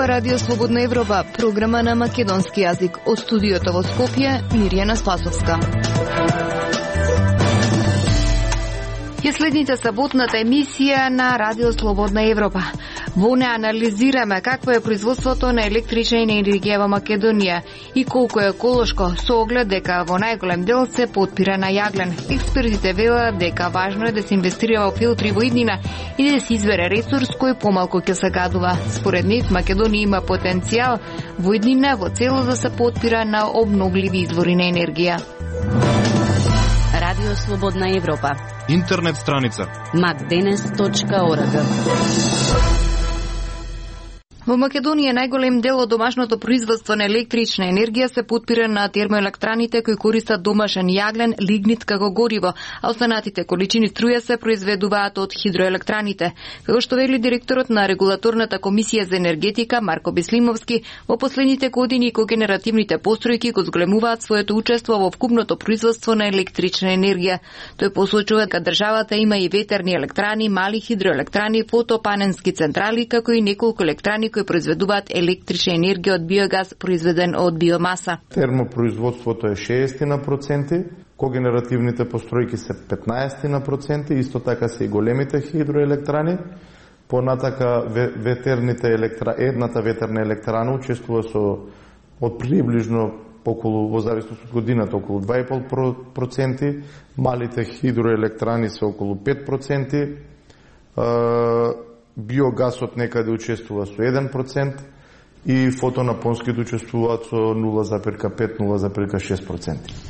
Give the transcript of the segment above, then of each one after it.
Радио Слободна Европа, програма на македонски јазик. Од студиото во Скопје, Мирјана Спасовска. Ја следните саботната емисија на Радио Слободна Европа. Во неа анализираме какво е производството на електрична енергија во Македонија и колку е еколошко, со оглед дека во најголем дел се потпира на јаглен. Експертите велат дека важно е да се инвестира во филтри во иднина и да се избере ресурс кој помалку ќе се гадува. Според нив, Македонија има потенцијал во иднина во целост да се потпира на обновливи извори на енергија. Радио Слободна Европа. Интернет страница macdenes.org. Во Македонија најголем дел од домашното производство на електрична енергија се потпира на термоелектраните кои користат домашен јаглен, лигнит како гориво, а останатите количини струја се произведуваат од хидроелектраните. Како што вели директорот на регулаторната комисија за енергетика Марко Беслимовски, во последните години когенеративните постројки го зголемуваат своето учество во вкупното производство на електрична енергија. Тој посочува дека државата има и ветерни електрани, мали хидроелектрани, фотопаненски централи, како и неколку електрани кои произведуваат електрична енергија од биогаз произведен од биомаса. Термопроизводството е 60%, когенеративните постројки се 15%, исто така се и големите хидроелектрани. Понатака едната ветерна електрана учествува со од приближно околу, во зависност од годината, околу 2,5%, малите хидроелектрани се околу 5%, биогасот некаде учествува со 1% и фотонапонските учествуваат со 0,5-0,6%.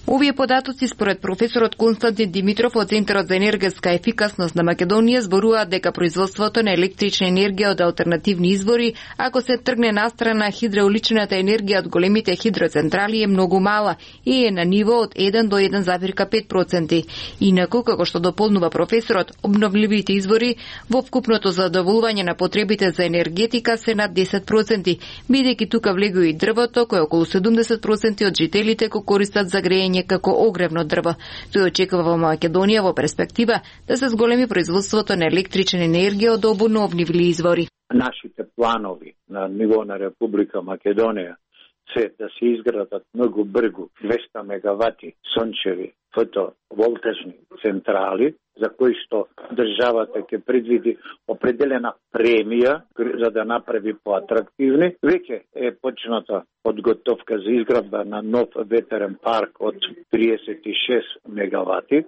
Овие податоци според професорот Константин Димитров од Центарот за енергетска ефикасност на Македонија зборуваат дека производството на електрична енергија од алтернативни извори, ако се тргне настрана хидроуличната енергија од големите хидроцентрали е многу мала и е на ниво од 1 до 1,5%. Инаку, како што дополнува професорот, обновливите извори во вкупното задоволување на потребите за енергетика се над 10%, бидејќи тука влегува и дрвото, кое околу 70% од жителите го користат за грејење како огревно дрво. Тој очекува во Македонија во перспектива да се зголеми производството на електрична енергија од обновливи извори. Нашите планови на ниво на Република Македонија се да се изградат многу брзо 200 мегавати сончеви фотоволтажни централи, за кои што државата ќе предвиди определена премија за да направи поатрактивни. Веќе е почната подготовка за изградба на нов ветерен парк од 36 мегавати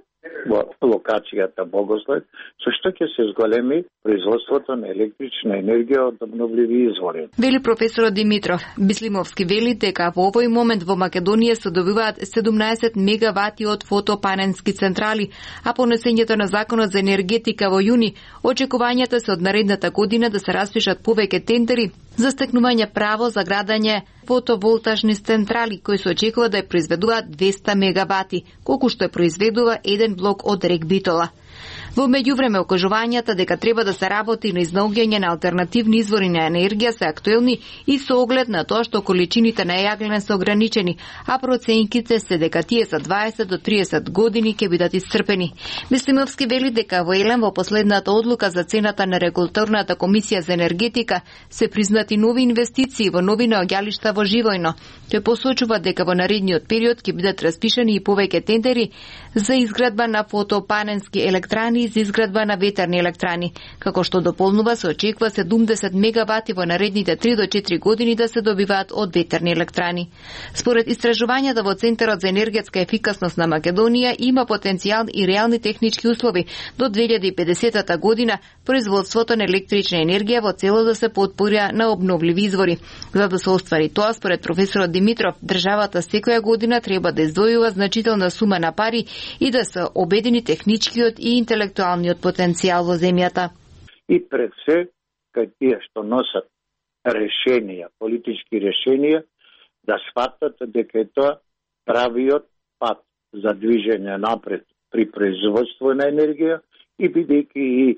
во локацијата Богослед, со што ќе се зголеми производството на електрична енергија од обновливи извори. Вели професорот Димитров. Бислимовски вели дека во овој момент во Македонија се добиваат 17 мегавати од фотопаненски централи, а по внесењето на Законот за енергетика во јуни, очекувањата се од наредната година да се распишат повеќе тендери за стекнување право за градење фотоволтажни централи кои се очекува да ја произведуваат 200 мегавати, колку што ја произведува еден блок од Рек Битола. Во меѓувреме, окажувањата дека треба да се работи на изнаоѓање на алтернативни извори на енергија се актуелни и со оглед на тоа што количините на јаглен се ограничени, а проценките се дека тие за 20 до 30 години ќе бидат исцрпени. Бислимовски вели дека во Елем во последната одлука за цената на регулаторната комисија за енергетика се признати нови инвестиции во нови наоѓалишта во Живојно. Тој посочува дека во наредниот период ќе бидат распишани и повеќе тендери за изградба на фотопаненски електрани и за изградба на ветерни електрани. Како што дополнува, се очекува 70 мегавати во наредните 3 до 4 години да се добиваат од ветерни електрани. Според истражувањата во Центарот за енергетска ефикасност на Македонија има потенцијал и реални технички услови до 2050 година производството на електрична енергија во цело да се потпора на обновливи извори. За да се оствари тоа, според професорот Димитров, државата секоја година треба да издвојува значителна сума на пари и да се обедини техничкиот и интелектуалниот потенцијал во земјата. И пред се, кај тие што носат решенија, политички решенија, да сватат дека е тоа правиот пат за движење напред при производство на енергија и бидејќи и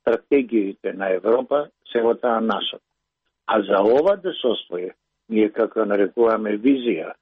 стратегиите на Европа се во таа насока. А за ова да се оствои, ние како нарекуваме визија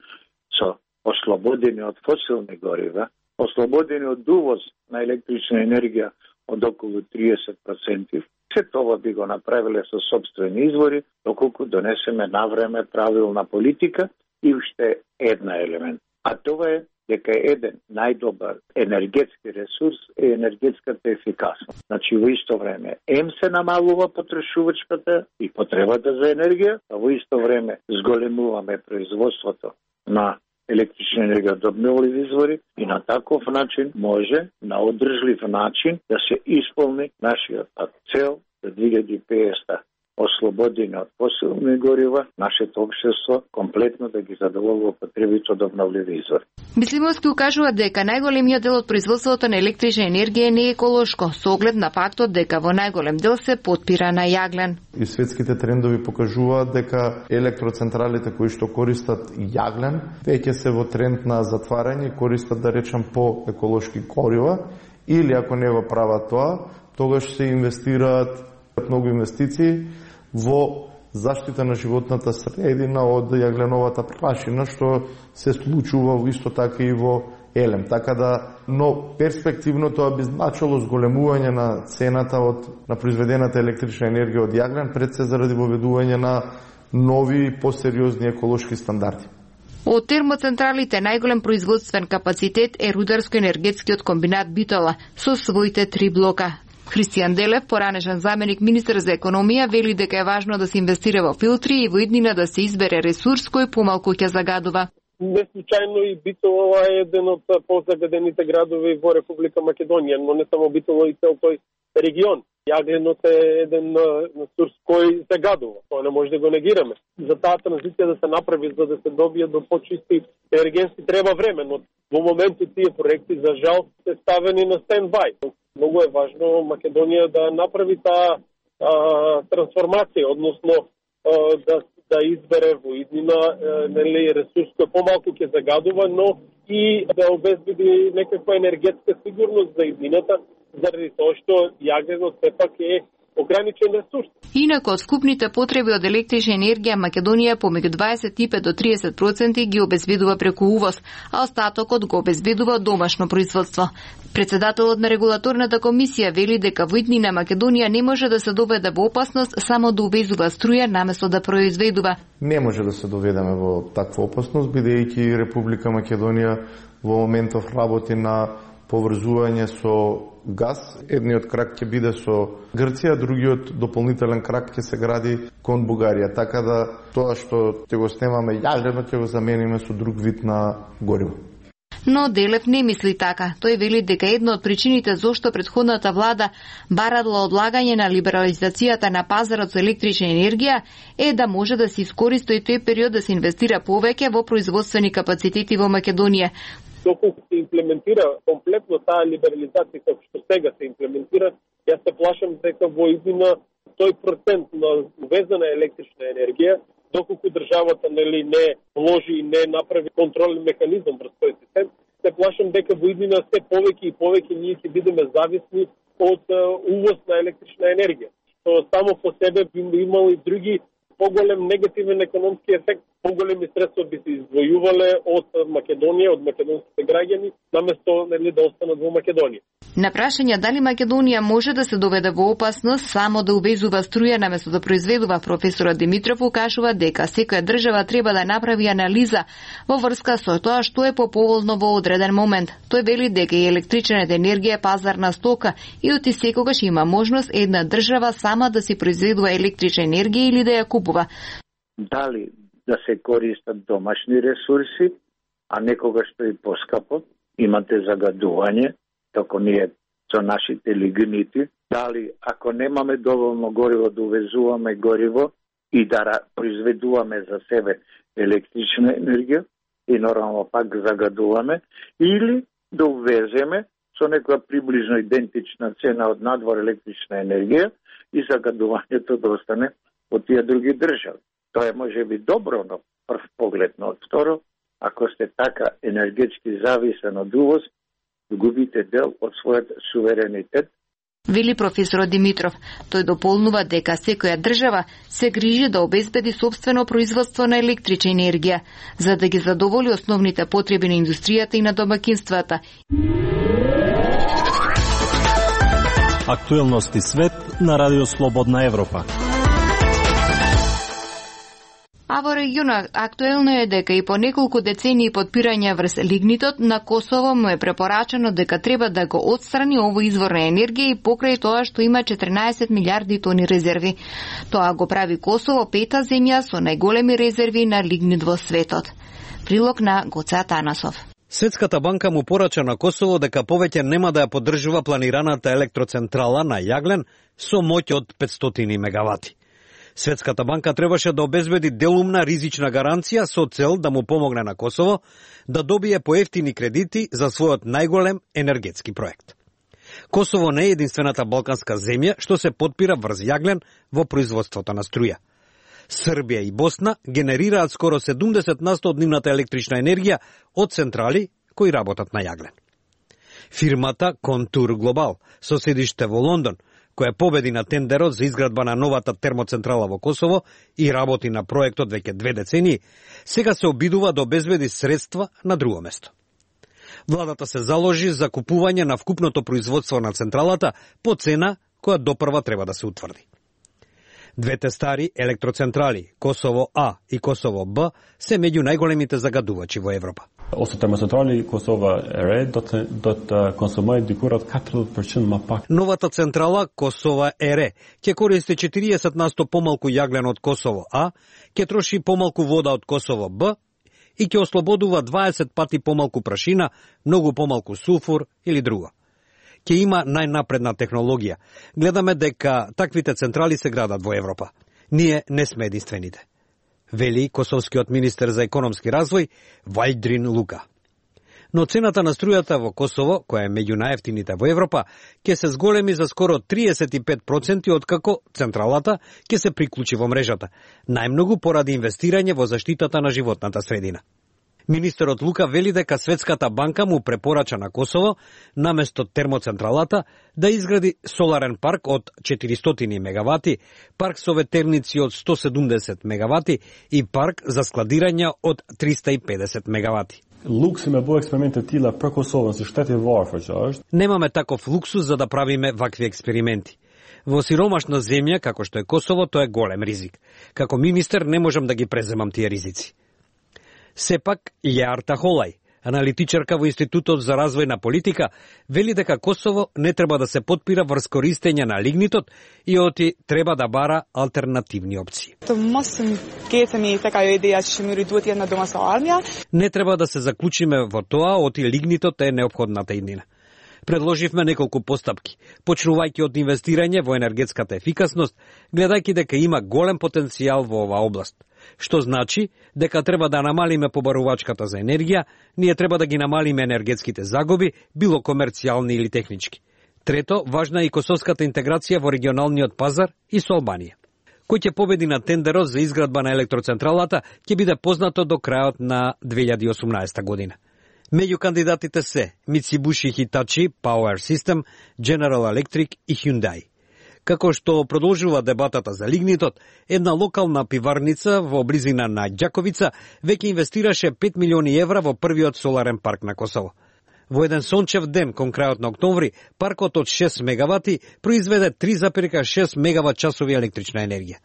со ослободени од фосилни горива, ослободени од увоз на електрична енергија од околу 30%. Се тоа би го направиле со собствени извори, доколку донесеме навреме правилна политика и уште една елемент. А тоа е дека еден најдобар енергетски ресурс е енергетската ефикасност. Значи, во исто време, се намалува потрошувачката и потребата за енергија, а во исто време зголемуваме производството на електрична енергија од обновливи извори и на таков начин може, на одржлив начин, да се исполни нашиот цел за 2050 ослободени од фосилни горива, нашето општество комплетно да ги задоволува потребите од обновливи извори. Бислимовски укажува дека најголемиот дел од производството на електрична енергија не е еколошко, со оглед на фактот дека во најголем дел се потпира на јаглен. И светските трендови покажуваат дека електроцентралите кои што користат јаглен, веќе се во тренд на затварање, користат, да речам, по еколошки горива, или ако не го прават тоа, тогаш се инвестираат многу инвестиции во заштита на животната средина од јагленовата прашина, што се случува исто така и во елем. Така да, но перспективно тоа би значило зголемување на цената на произведената електрична енергија од јаглен, пред се заради воведување на нови посериозни еколошки стандарди. Од термоцентралите најголем производствен капацитет е рударско-енергетскиот комбинат Битола со своите 3 блока. Христијан Делев, поранешен заменик министер за економија, вели дека е важно да се инвестира во филтри и во иднина да се избере ресурс кој помалку ќе загадува. Не случајно и Битола е еден од позагадените градови во Република Македонија, но не само Битола и цел тој регион. Јагленот е еден ресурс кој загадува, тоа не може да го негираме. За таа транзиција да се направи, за да се добие до почисти енергенски, треба време, но во моментот тие проекти за жал се ставени на стендбај. Многу е важно Македонија да направи таа трансформација, односно да избере во иднина ресурс кој помалку ќе загадува, но и да обезбеди некаква енергетска сигурност за иднината, заради тоа што јагленот сепак е ограничен ресурс. Инаку од скупните потреби од електрична енергија Македонија помеѓу 25 до 30% ги обезбедува преку увоз, а остатокот го обезбедува од домашно производство. Председателот на регулаторната комисија вели дека во иднина Македонија не може да се доведе во опасност само да увезува струја наместо да произведува. Не може да се доведеме во таква опасност, бидејќи Република Македонија во моментов работи на поврзување со газ. Едниот крак ќе биде со Грција, другиот дополнителен крак ќе се гради кон Бугарија. Така да тоа што ќе го снемаме јагленот ќе го замениме со друг вид на гориво. Но Делев не мисли така. Тој вели дека една од причините зошто претходната влада барала одлагање на либерализацијата на пазарот со електрична енергија е да може да се искористи тој период да се инвестира повеќе во производствени капацитети во Македонија. Доколку се имплементира комплетно таа либерализација како што сега се имплементира, јас се плашам дека во иднина тој процент на увезена електрична енергија, доколку државата не вложи и не направи контролен механизам врз тој систем, се плашам дека во иднина се повеќе и повеќе ние ќе бидеме зависни од увоз на електрична енергија, што само по себе би имало и други поголем негативен економски ефект. Поголеми средства би се издвојувале од Македонија, од македонските граѓани, наместо да останат во Македонија. На прашање дали Македонија може да се доведе во опасност само да увезува струја наместо да произведува, професорот Димитров укажува дека секоја држава треба да направи анализа во врска со тоа што е поповолно во одреден момент. Тој вели дека и електричната енергија е пазарна стока и оти секогаш има можност една држава сама да си произведува електрична енергија или да ја купува. Дали да се користат домашни ресурси, а некогаш што и поскапо, имате загадување, како ние со нашите лигнити, дали ако немаме доволно гориво да увезуваме гориво и да произведуваме за себе електрична енергија и нормално пак загадуваме, или да увеземе со некоја приближно идентична цена од надвор електрична енергија и загадувањето да остане од тие други држави. Тоа е може би добро на прв поглед, но од второ, ако сте така енергетски зависен од увоз, губите дел од својот суверенитет. Вели професорот Димитров. Тој дополнува дека секоја држава се грижи да обезбеди сопствено производство на електрична енергија, за да ги задоволи основните потреби на индустријата и на домакинствата. Актуелности свет на Радио Слободна Европа. А во регионот актуелно е дека и по неколку децении подпирање врз лигнитот на Косово му е препорачано дека треба да го отстрани овој извор на енергија и покрај тоа што има 14 милиарди тони резерви. Тоа го прави Косово пета земја со најголеми резерви на лигнит во светот. Прилог на Гоце Атанасов. Светската банка му порача на Косово дека повеќе нема да ја поддржува планираната електроцентрала на Јаглен со моќ од 500 мегавати. Светската банка требаше да обезбеди делумна ризична гаранција со цел да му помогне на Косово да добие поевтини кредити за својот најголем енергетски проект. Косово не е единствената балканска земја што се подпира врз Јаглен во производството на струја. Србија и Босна генерираат скоро 70% од нивната електрична енергија од централи кои работат на Јаглен. Фирмата Контур Глобал, со седиште во Лондон, која победи на тендерот за изградба на новата термоцентрала во Косово и работи на проектот веќе 2 децении, сега се обидува да обезбеди средства на друго место. Владата се заложи за купување на вкупното производство на централата по цена која допрва треба да се утврди. Двете стари електроцентрали, Косово А и Косово Б, се меѓу најголемите загадувачи во Европа. Ose termocentrali Kosova e re do të konsumojnë diku rreth 40% më pak. Новата централа Косова е ре ќе користи 40% помалку јаглен од Косово А, ќе троши помалку вода од Косово Б и ќе ослободува 20 пати помалку прашина, многу помалку сулфур или друго. Ќе има најнапредна технологија. Гледаме дека таквите централи се градат во Европа. Ние не сме единствените, вели косовскиот министер за економски развој Валјдрин Лука. Но цената на струјата во Косово, која е меѓу најевтините во Европа, ќе се зголеми за скоро 35% откако централата ќе се приклучи во мрежата, најмногу поради инвестирање во заштитата на животната средина. Министерот Лука вели дека Светската банка му препорача на Косово, наместо термоцентралата, да изгради соларен парк од 400 мегавати, парк со ветерници од 170 мегавати и парк за складирање од 350 мегавати. Лукси ме бо експерименти тила për Kosovën se shteti varfër që është. Немаме таков луксус за да правиме вакви експерименти. Во сиромашна земја, како што е Косово, тоа е голем ризик. Како министер не можам да ги преземам тие ризици. Сепак, Леарта Холај, аналитичарка во Институтот за развојна политика, вели дека Косово не треба да се подпира врз користење на лигнитот и оти треба да бара алтернативни опции. Не треба да се заклучиме во тоа, оти лигнитот е неопходната иднина. Предложивме неколку постапки, почнувајќи од инвестирање во енергетската ефикасност, гледајќи дека има голем потенцијал во оваа област. Што значи дека треба да намалиме побарувачката за енергија, ние треба да ги намалиме енергетските загуби, било комерцијални или технички. Трето, важна е и косовската интеграција во регионалниот пазар и со Албанија. Кој ќе победи на тендерот за изградба на електроцентралата ќе биде познато до крајот на 2018 година. Меѓу кандидатите се Mitsubishi Hitachi Power System, General Electric и Hyundai. Како што продолжува дебатата за лигнитот, една локална пиварница во близина на Ѓаковица веќе инвестираше 5 милиони евра во првиот соларен парк на Косово. Во еден сончев ден кон крајот на октомври, паркот од 6 мегавати произведе 3,6 мегават часови електрична енергија.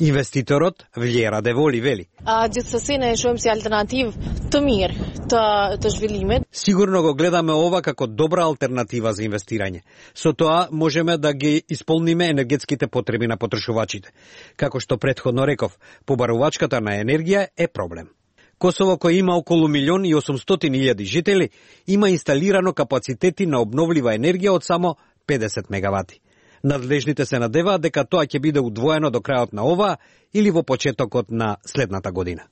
Инвеститорот Vljera Devoli вели: Gjithsesi ne e shohim si alternativë të mirë të zhvillimit. Сигурно го гледаме ова како добра алтернатива за инвестирање. Со тоа можеме да ги исполниме енергетските потреби на потрошувачите. Како што претходно реков, побарувачката на енергија е проблем. Косово, кој има околу 1.800.000 жители, има инсталирано капацитети на обновлива енергија од само 50 мегавати. Надлежните се надеваат дека тоа ќе биде удвоено до крајот на оваа или во почетокот на следната година.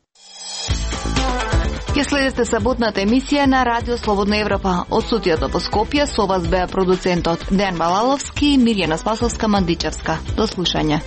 Ќе следите саботната емисија на Радио Слободна Европа. Од студиото во Скопје со вас беа продуцентот Дејан Балаловски и Мирјана Спасовска-Мандичевска. До слушање.